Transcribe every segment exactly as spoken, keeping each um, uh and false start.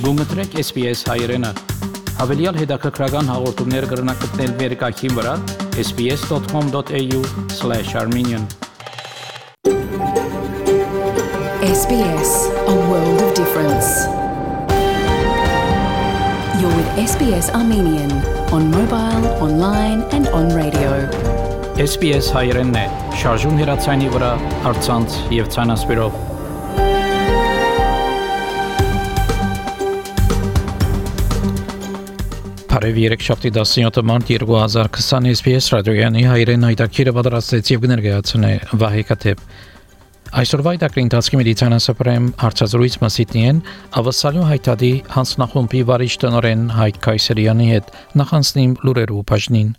Գումտրեք S B S հայերեն։ Հավելյալ հետաքրքրական հաղորդումներ կգրնակցնել վերկայքին վրա s b s dot com dot a u slash armenian S B S, a world of difference. You're with S B S Armenian on mobile, online and on radio. S B S հայերենն է, շարժուն հեռացանի վրա, առցանց եւ ցանասպիրով։ Բարև երեքշաբթի տասնյոթ մարտ երկու հազար քսան S B S ռադիոյանի հայերեն հայտակիրը պատրաստեց եւ կներկայացնե Վահե Կաթեփ։ Այսօրվա հայտակրի ընթացքի մեդիցինասապրեմ հարցազրույց մասիտնի են ավասալյո հայտադի հանձնախումբի վարիչ տնօրեն Հայկ Քայսերյանի հետ նախանցնիմ լուրերու բաժնին։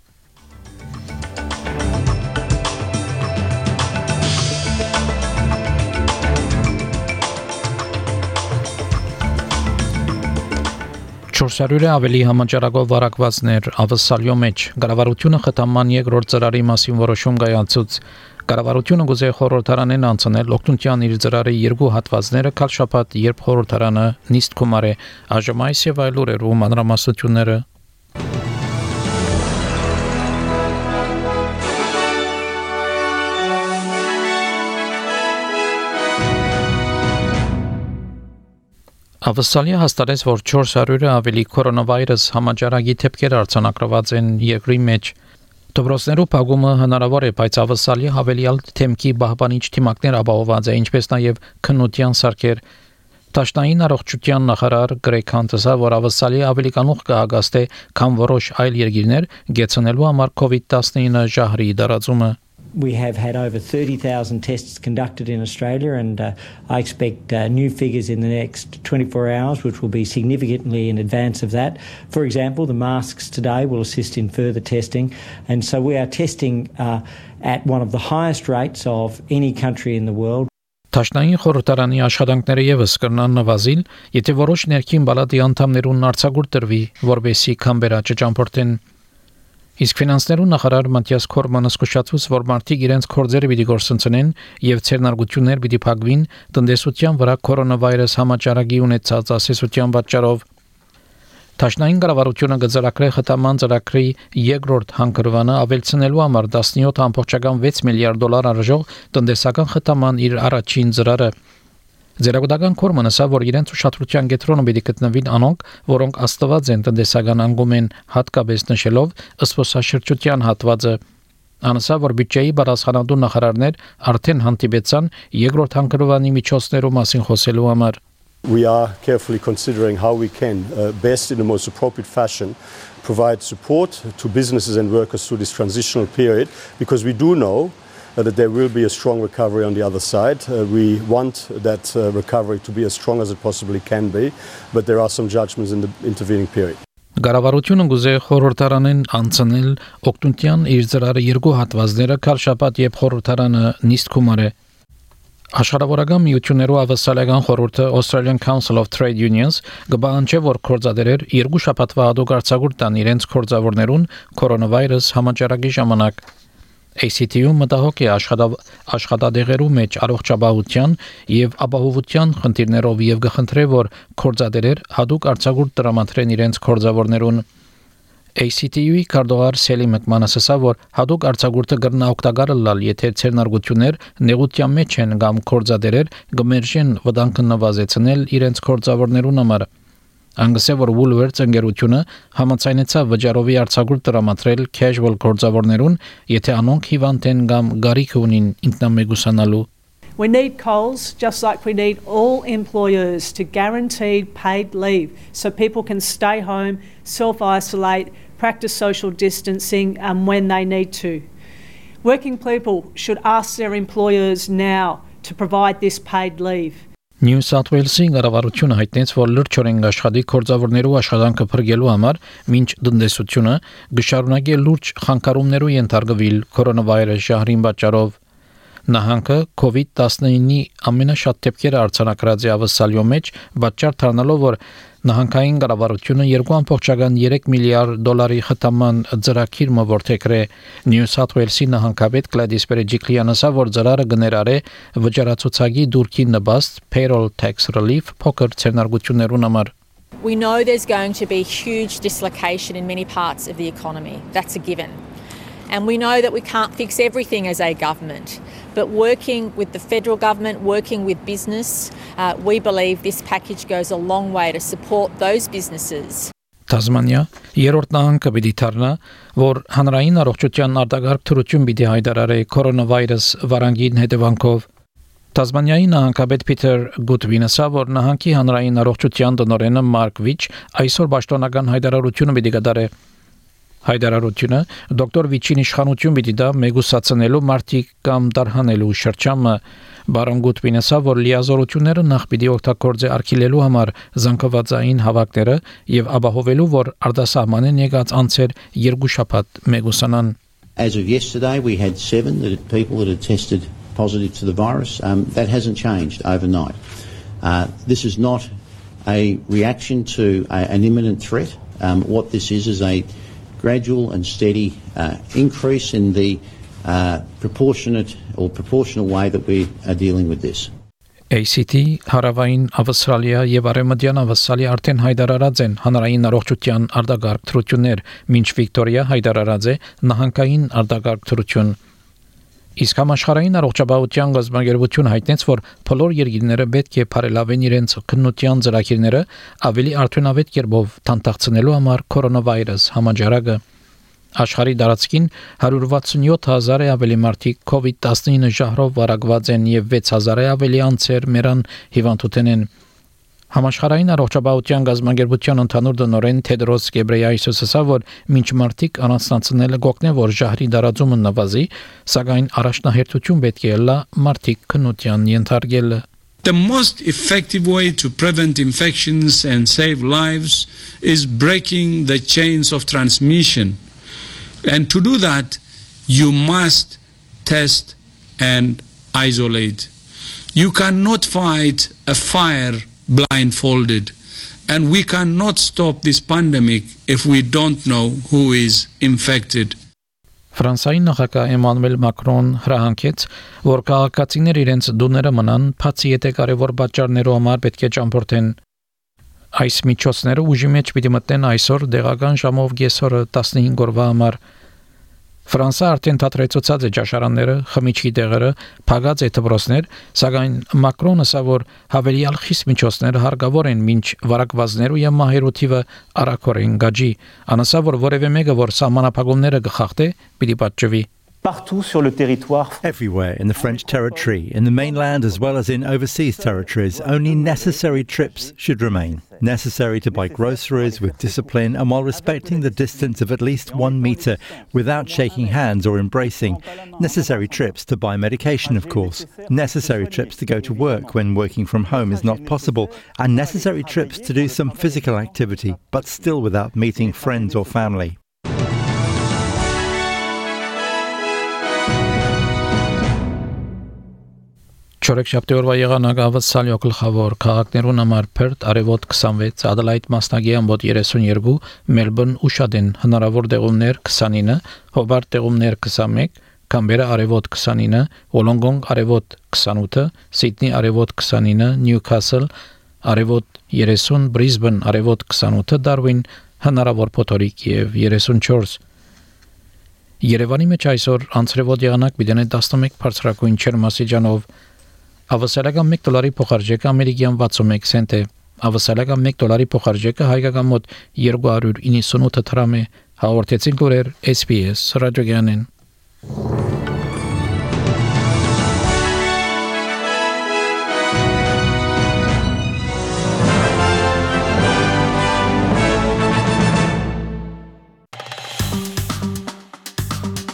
չորս հարյուր ավելի համաճարակով վարակվածներ ավասալյո մեջ կառավարությունը խթանման երկրորդ ծրարի մասին որոշում կայացուց կառավարությունը գուզե խորհրդարանեն անցնել օգնության իր ծրարի երկու հատվածները քալ շաբաթ երբ խորհրդարանը նիստ կոմարե այժմ այս եւ այլ լուրերու մանրամասնությունները Ավասալիա հաստատեց, որ չորս հարյուր ավելի կորոնավիրուս համաճարակի դեպքեր արձանագրված են երկրի մեջ։ Դպրոցներու փակումը հնարավոր է, բայց ավասալիա հավելյալ թեմքի բահբանիչ թիմակներ ապահովված է, ինչպես նաև քննության սարքեր։ Տաշնային առողջության նախարար Գրեգ Հանտեսը, որ ավասալիա ավելի կանուխ կհագաստե, քան որոշ այլ երկիրներ, գեցնելու համար COVID nineteen ժահրի դարածումը։ We have had over thirty thousand tests conducted in Australia and uh, I expect uh, new figures in the next twenty-four hours which will be significantly in advance of that. For example, the masks today will assist in further testing and so we are testing uh, at one of the highest rates of any country in the world. Տաշնային խորհրդարանի աշխատանքները եւս կրնան նվազիլ, եթե որոշ ներքին բալատի անդամներուն արձագուրդ տրվի, որբեսի քամբերա չճամփորդեն։ Իսկ ֆինանսներու նախարար Մատիաս Քորմանը զսկուշացուց, որ մարդիկ իրենց կորձերը պիտի գործընծնեն եւ ցերնարգություններ պիտի փակվին տնտեսության վրա կորոնավիրուս համաճարակի ունեցած ասեսության պատճառով։ Տաշնային կառավարությունը գծարակրե խթանման ծրագրի երկրորդ հանգրվանը ավելցնելու համար տասնյոթ ամբողջական վեց միլիարդ դոլար արժող տնտեսական խթանման իր առաջին ծրարը Ձերագուտական կորմանը ասա, որ իրենց ուշադրության կենտրոնում պիտի գտնվին անոնք, որոնք աստված են տնտեսական անգումեն հատկապես նշելով ըսպոսաշրջության հատվածը։ Անասա, որ բյուջեի բարձրանալու նախարարներ արդեն հանդիպեցան երկրորդ հանգրվանի միջոցներու մասին խոսելու համար։ We are carefully considering how we can uh, best in the most appropriate fashion provide support to businesses and workers through this transitional period because we do know Uh, that there will be a strong recovery on the other side. Uh, we want that uh, recovery to be as strong as it possibly can be, but there are some judgments in the intervening period. Կառավարությունը գուզե խորհրդարանեն անցնել օգնության իր ծրարի երկու հատվածները քալ շաբաթ երբ խորհրդարանը նիստ կոմարե Աշխարհավորական միություններու ավասալական խորհուրդը Australian Council of Trade Unions գբանջե որ կորզադերեր երկու շաբաթվա հատուկ արձագուրդ տան իրենց կորզավորներուն կորոնավիրուս համաճարակի ժամանակ A C T-ում մտահոգ է աշխատադեղերու մեջ առողջապահության եւ ապահովության խնդիրներով եւ գխնդրե որ կորզադերեր հատուկ արձագուրդ տրամադրեն իրենց կորզավորներուն A C T-ի կարդողար Սելի Մկմանասը որ հատուկ արձագուրդը կրնա օգտակար լալ եթե ցերնարգություններ նեղության մեջ են կամ կորզադերեր գմերժեն վտանգը նվազեցնել իրենց կորզավորներուն համար Անգսե որ Woolworths ընկերությունը համաձայնեցավ վճարովի արձագուրդ տրամադրել casual գործավորներուն, եթե անոնք հիվանդ են կամ գարիք ունին ինքնամեգուսանալու We need Coles, just like we need all employers, to guarantee paid leave so people can stay home, self-isolate, practice social distancing um, when they need to. Working people should ask their employers now to provide this paid leave. New South Wales-ի կառավարությունը հայտնեց, որ լրջորեն աշխատի կորձավորներու աշխատանքը փրկելու համար մինչ տնտեսությունը գշարունակի լուրջ խանգարումներու ենթարկվել կորոնավիրուս ժահրին պատճառով։ Նահանգը COVID nineteen-ի ամենաշատ դեպքերը արձանագրած է ավասալյո մեջ, պատճառ դառնալով, որ նահանգային կառավարությունը երկու ամբողջական երեք միլիարդ դոլարի խթանման ծրագիր մորթեքրե New South Wales-ի նահանգապետ Gladys Berejiklian ասա, որ ծրարը գներարե վճարացուցակի դուրքի նպաստ payroll tax relief փոքր ցերնարգություններուն համար։ We know there's going to be huge dislocation in many parts of the economy. That's a given. And we know that we can't fix everything as a government. But working with the federal government, working with business, uh, we believe this package goes a long way to support those businesses. Տազմանիա երրորդ նահանգը պիտի դառնա, որ հանրային առողջության արտակարգ թրություն պիտի հայտարարի կորոնավիրուս վարանգին հետևանքով։ Տազմանիայի նահանգապետ Փիթեր Գուտվինը ասա, որ նահանգի հանրային առողջության տնօրենը Մարկ Վիչ այսօր պաշտոնական հայտարարությունը պիտի կատարի։ Հայտարարությունը դոկտոր Վիչին իշխանություն պիտի դա մեգուսացնելու մարտիկ կամ դարհանելու շրջանը Բարոն Գուտվինը ասա, որ լիազորությունները նախ պիտի օգտագործի արգելելու համար զանգվածային հավաքները եւ ապահովելու, որ արտասահմանեն եկած անձեր երկու շաբաթ մեգուսանան։ As of yesterday, we had seven that people that had tested positive to the virus. Um, that hasn't changed overnight. Uh, this is not a reaction to a, an imminent threat. Um, what this is is a gradual and steady uh, increase in the uh, proportionate or proportional way that we are dealing with this. A C T, Հարավային Ավստրալիա եւ Արևմտյան Ավստրալիա արդեն հայտարարած են հանրային առողջության արտակարգ թրություններ, մինչ Վիկտորիա հայտարարած է նահանգային արտակարգ թրություն։ Իսկ համաշխարհային առողջապահության գազագերբություն հայտնեց, որ բոլոր երկիրները պետք է բարելավեն իրենց քննության ծրագիրները ավելի արդյունավետ կերպով թանտակցնելու համար կորոնավիրուս համաճարակը։ Աշխարհի տարածքին one hundred sixty-seven thousand-ը ավելի մարդիկ COVID nineteen ժահրով վարակված են եւ six thousand-ը ավելի անձեր մեռան հիվանդութեն են։ Համաշխարհային առողջապահության գազագերբության ընդհանուր տնօրեն Թեդրոս Գեբրեյեսուսը ասա, որ մինչ մարդիկ առանձնացնելը գոհն է, որ ժահրի դարաձումը նվազի, սակայն առաջնահերթություն պետք է լա մարդիկ քննության ենթարկելը։ The most effective way to prevent infections and save lives is breaking the chains of transmission. And to do that, you must test and isolate. You cannot fight a fire blindfolded. And we cannot stop this pandemic if we don't know who is infected. Ֆրանսիայի նախագահ Էմանուել Մակրոն հրահանգեց, որ քաղաքացիներ իրենց դուները մնան, բացի եթե կարևոր պատճառներով համար պետք է ճամփորդեն։ Այս միջոցները ուժի մեջ պիտի մտնեն այսօր դեղական ժամով կեսօրը fifteen օրվա համար։ Ֆրանսա արդեն թատրեցուցած է ճաշարանները, խմիչքի տեղերը, փակած է դպրոցներ, սակայն Մակրոնը ասա, որ հավելյալ խիստ միջոցներ հարկավոր են մինչ վարակվածներու եւ մահերու թիվը արագորեն գաջի։ Անասա, որ որևէ մեկը, որ սահմանափակումները կխախտե, պիտի պատժվի։ Partout sur le territoire. Everywhere in the French territory, in the mainland as well as in overseas territories, only necessary trips should remain. Necessary to buy groceries with discipline and while respecting the distance of at least one metre without shaking hands or embracing. Necessary trips to buy medication, of course. Necessary trips to go to work when working from home is not possible. And necessary trips to do some physical activity, but still without meeting friends or family. Չորեքշաբթի օրվա եղանակը ավսալյո գլխավոր քաղաքներուն համար Perth արևոտ twenty-six, Adelaide մասնագի ամբոտ thirty-two, Melbourne ուշադեն հնարավոր տեղումներ twenty-nine, Hobart տեղումներ twenty-one, Canberra արևոտ twenty-nine, Wollongong արևոտ twenty-eight, Sydney արևոտ twenty-nine, Newcastle արևոտ thirty, Brisbane արևոտ twenty-eight, Darwin հնարավոր փոթորիկ եւ thirty-four։ Երևանի մեջ այսօր անցրևոտ եղանակ պիտի eleven բարձրակույն ջերմաստիճանով Ավսալական one դոլարի փոխարժեքը ամերիկյան sixty-one سنت է։ Ավսալական one դոլարի փոխարժեքը հայկական մոտ two hundred ninety-eight դրամ է։ Հաղորդեցին լուրեր S B S ռադիոգյանեն։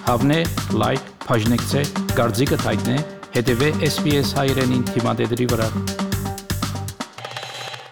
Հավնե, լայք, բաժնեկցե, դարձիկը թայտնե, հետևե S B S հայրենին թիմադեդրի վրա։